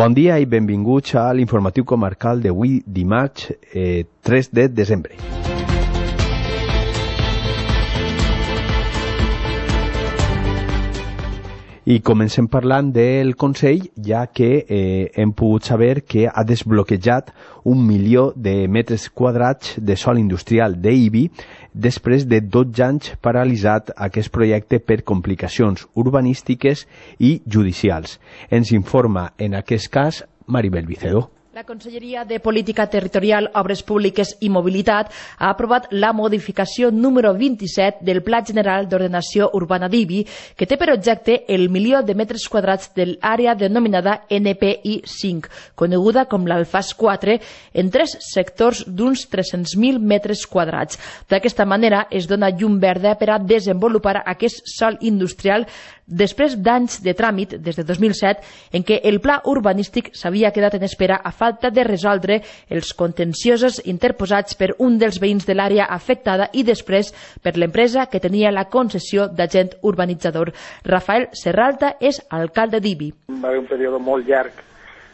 Bon dia i benvinguts a l'informatiu comarcal d'avui dimarts 3 de desembre. I comencem parlant del Consell, ja que hem pogut saber que ha desbloquejat 1 milió de metres quadrats de sòl industrial d'Ibi després de 12 anys paralitzat aquest projecte per complicacions urbanístiques i judicials. Ens informa en aquest cas Maribel Vicedo. La Conselleria de Política Territorial, Obres Públiques i Mobilitat ha aprovat la modificació número 27 del Pla General d'Ordenació Urbana d'Ibi, que té per objecte el milió de metres quadrats de l'àrea denominada NPI 5, coneguda com l'Alfàs 4, en 3 sectors d'uns 300.000 metres quadrats. D'aquesta manera es dona llum verda per a desenvolupar aquest sòl industrial després d'anys de tràmit, des de 2007, en què el pla urbanístic s'havia quedat en espera a falta de resoldre els contenciosos interposats per un dels veïns de l'àrea afectada i després per l'empresa que tenia la concessió d'agent urbanitzador. Rafael Serralta és alcalde d'Ibi. Va haver un període molt llarg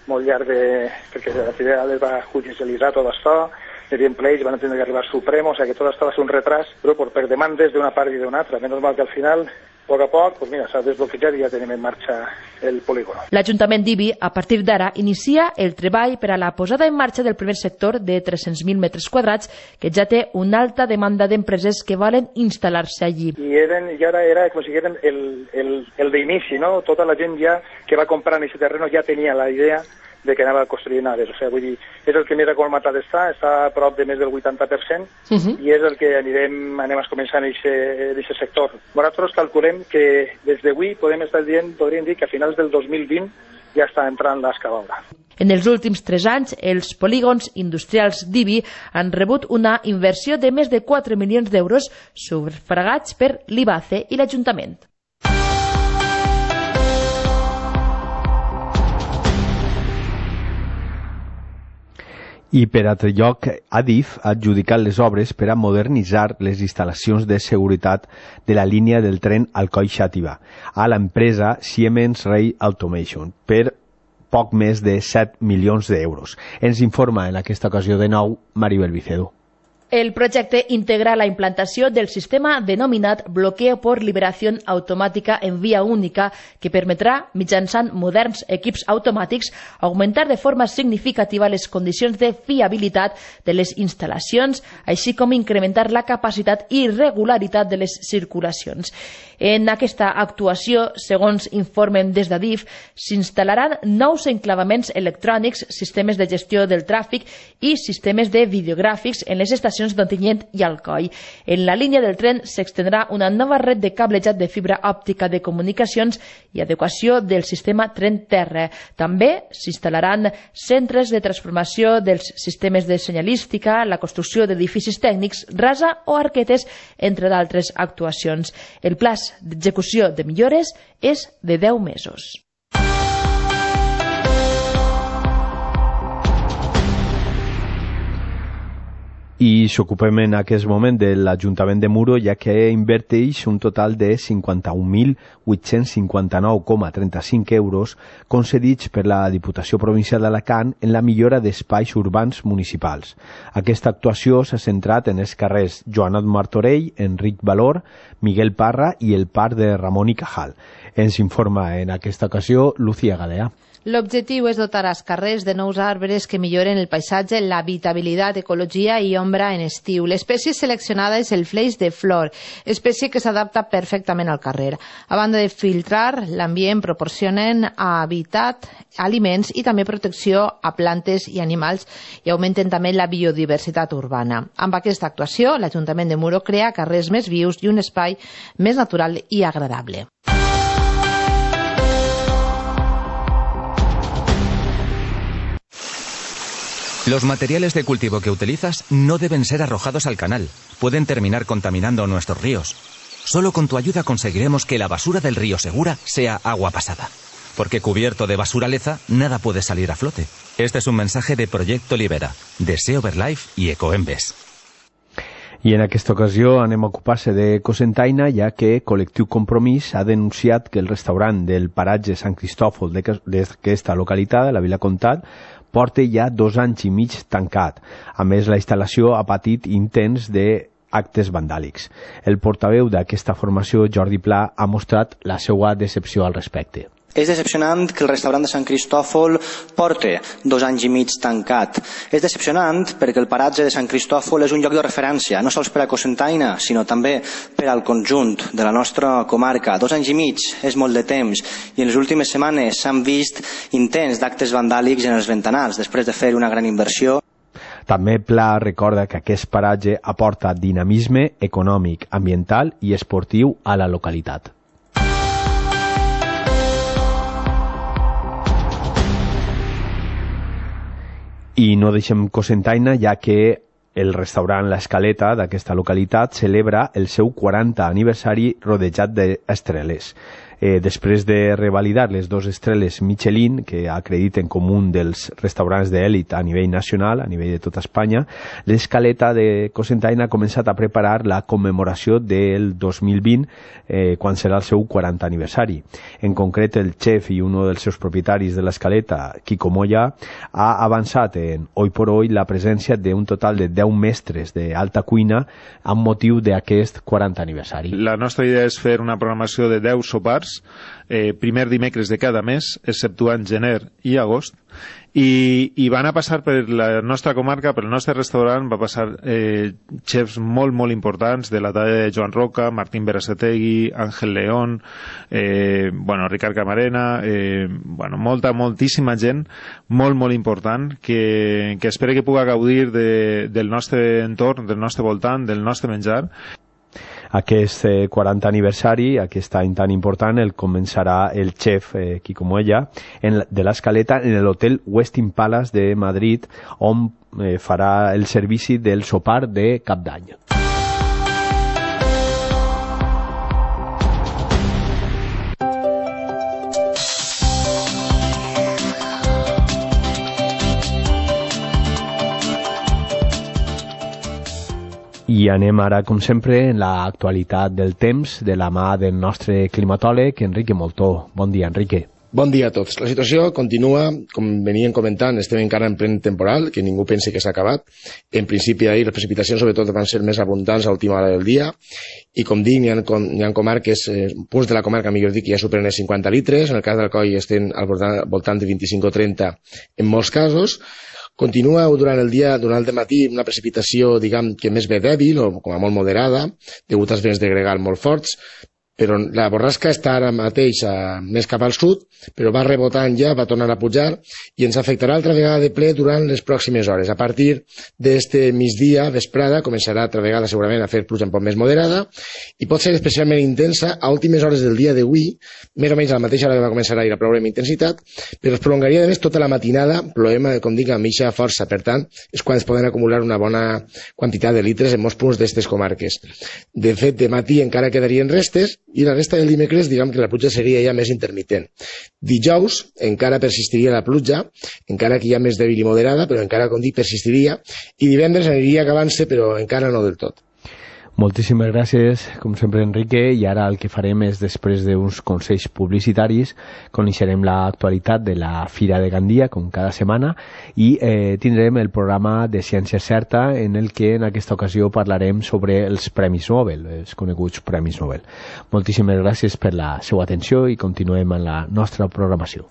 perquè al final es va judicialitzar tot això, hi havia pleits, van tenir que arribar al Supremo, o sigui que tot això va ser un retras, però per demandes d'una part i d'una altra. Menys mal que al final, a poc a poc, s'ha desbloquejat i ja tenim en marxa el polígon. L'Ajuntament d'Ibi, a partir d'ara, inicia el treball per a la posada en marxa del primer sector de 300.000 metres quadrats, que ja té una alta demanda d'empreses que volen instal·lar-se allí. I ara era com si eren el d'inici, no? Tota la gent ja que va comprar en aquest terreno ja tenia la idea de que anava a construir naves. O sigui, vull dir, és el que més acolmatat està a prop de més del 80%, i és el que anem a començar en aquest sector. Nosaltres calculem que des d'avui podríem dir que a finals del 2020 ja està entrant l'excavadora. En els últims 3 anys, els polígons industrials d'Ibi han rebut una inversió de més de 4 milions d'euros sufragats per l'IBACE i l'Ajuntament. I per altre lloc, Adif ha adjudicat les obres per a modernitzar les instal·lacions de seguretat de la línia del tren Alcoi-Xàtiva a l'empresa Siemens Rail Automation per poc més de 7 milions d'euros. Ens informa en aquesta ocasió de nou Maribel Vicedo. El projecte integra la implantació del sistema denominat bloqueo por liberación automática en vía única, que permetrà, mitjançant moderns equips automàtics, augmentar de forma significativa les condicions de fiabilitat de les instal·lacions, així com incrementar la capacitat i regularitat de les circulacions. En aquesta actuació, segons informen des d'Adif, s'instal·laran nous enclavaments electrònics, sistemes de gestió del tràfic i sistemes de videogràfics en les estacions d'Ontinyent i Alcoi. En la línia del tren s'extendrà una nova red de cablejat de fibra òptica de comunicacions i adequació del sistema tren-terra. També s'instal·laran centres de transformació dels sistemes de senyalística, la construcció d'edificis tècnics, rasa o arquetes, entre d'altres actuacions. El pla d'execució de millores és de 10 mesos. I s'ocupem en aquest moment de l'Ajuntament de Muro, ja que inverteix un total de 51.859,35 euros concedits per la Diputació Provincial d'Alacant en la millora d'espais urbans municipals. Aquesta actuació s'ha centrat en els carrers Joanot Martorell, Enric Valor, Miguel Parra i el Parc de Ramon i Cajal. Ens informa en aquesta ocasió Lucía Galea. L'objectiu és dotar els carrers de nous arbres que milloren el paisatge, l'habitabilitat, ecologia i ombra en estiu. L'espècie seleccionada és el fleix de flor, espècie que s'adapta perfectament al carrer. A banda de filtrar l'ambient, proporcionen habitat, aliments i també protecció a plantes i animals i augmenten també la biodiversitat urbana. Amb aquesta actuació, l'Ajuntament de Muro crea carrers més vius i un espai més natural i agradable. Los materiales de cultivo que utilizas no deben ser arrojados al canal. Pueden terminar contaminando nuestros ríos. Solo con tu ayuda conseguiremos que la basura del río Segura sea agua pasada. Porque cubierto de basuraleza, nada puede salir a flote. Este es un mensaje de Proyecto Libera, de Sea Over Life y Ecoembes. I en aquesta ocasió anem a ocupar-se de Cocentaina, ja que Col·lectiu Compromís ha denunciat que el restaurant del paratge Sant Cristòfol d'aquesta localitat, de la Vila Comtat, porta ja 2 anys i mig tancat. A més, la instal·lació ha patit intents d'actes vandàlics. El portaveu d'aquesta formació, Jordi Pla, ha mostrat la seva decepció al respecte. És decepcionant que el restaurant de Sant Cristòfol porti 2 anys i mig tancat. És decepcionant perquè el paratge de Sant Cristòfol és un lloc de referència, no sols per a Cocentaina, sinó també per al conjunt de la nostra comarca. 2 anys i mig és molt de temps i en les últimes setmanes s'han vist intents d'actes vandàlics en els ventanals, després de fer una gran inversió. També Pla recorda que aquest paratge aporta dinamisme econòmic, ambiental i esportiu a la localitat. I no deixem Cocentaina, ja que el restaurant L'Escaleta d'aquesta localitat celebra el seu 40 aniversari rodejat d'estreles. Després de revalidar les 2 estrelles Michelin, que acrediten com un dels restaurants d'èlit a nivell nacional, a nivell de tota Espanya, l'Escaleta de Cocentaina ha començat a preparar la commemoració del 2020, quan serà el seu 40 aniversari. En concret, el xef i un dels seus propietaris de l'Escaleta, Quico Moya, ha avançat en Hoy por Hoy la presència d'un total de 10 mestres d'alta cuina amb motiu d'aquest 40 aniversari. La nostra idea és fer una programació de 10 sopars primer dimecres de cada mes, exceptuant gener i agost, i van a passar per la nostra comarca, per el nostre restaurant, va passar xefs molt importants de la talla de Joan Roca, Martín Berasategui, Ángel León, Ricard Camarena, moltíssima gent molt important que espero que pugui gaudir del nostre entorn, del nostre voltant, del nostre menjar. Aquest 40 aniversari, aquest any tan important, el començarà el xef Quico Moya de l'Escaleta en l'hotel Westin Palace de Madrid, on farà el servici del sopar de Cap d'Any. I anem ara, com sempre, en l'actualitat del temps, de la mà del nostre climatòleg, Enrique Moltó. Bon dia, Enrique. Bon dia a tots. La situació continua, com venien comentant, estem encara en plena temporal, que ningú pensi que s'ha acabat. En principi, ahir les precipitacions sobretot van ser més abundants a l'última hora del dia, i com dic, hi ha comarques, punts de la comarca, millor dir, que ja superen els 50 litres, en el cas d'Alcoi estem al voltant de 25 o 30 en molts casos. Continua durant el dia, durant el dematí, una precipitació, diguem, que més bé dèbil o com a molt moderada, degut als vents de gregal molt forts, però la borrasca està ara mateix més cap al sud, però va rebotant ja, va tornar a pujar i ens afectarà altra vegada de ple durant les pròximes hores. A partir d'este migdia, vesprada, començarà altra vegada segurament a fer pluja un poc més moderada i pot ser especialment intensa a últimes hores del dia d'avui, més o menys a la mateixa hora que va començar a ir a ploure amb intensitat, però es prolongaria de més tota la matinada, ploem, com dic, amb eixa força. Per tant, és quan es poden acumular una bona quantitat de litres en molts punts d'aquestes comarques. De fet, de matí encara quedarien restes i la resta del dimecres, diguem que la pluja seria ja més intermitent. Dijous encara persistiria la pluja, encara que ja més dèbil i moderada, però encara, com dic, persistiria, i divendres aniria acabant-se, però encara no del tot. Moltíssimes gràcies, com sempre, Enrique, i ara el que farem és, després d'uns consells publicitaris, coneixerem l'actualitat de la Fira de Gandia, com cada setmana, i tindrem el programa de Ciència Certa, en el que en aquesta ocasió parlarem sobre els Premis Nobel, els coneguts Premis Nobel. Moltíssimes gràcies per la seva atenció i continuem en la nostra programació.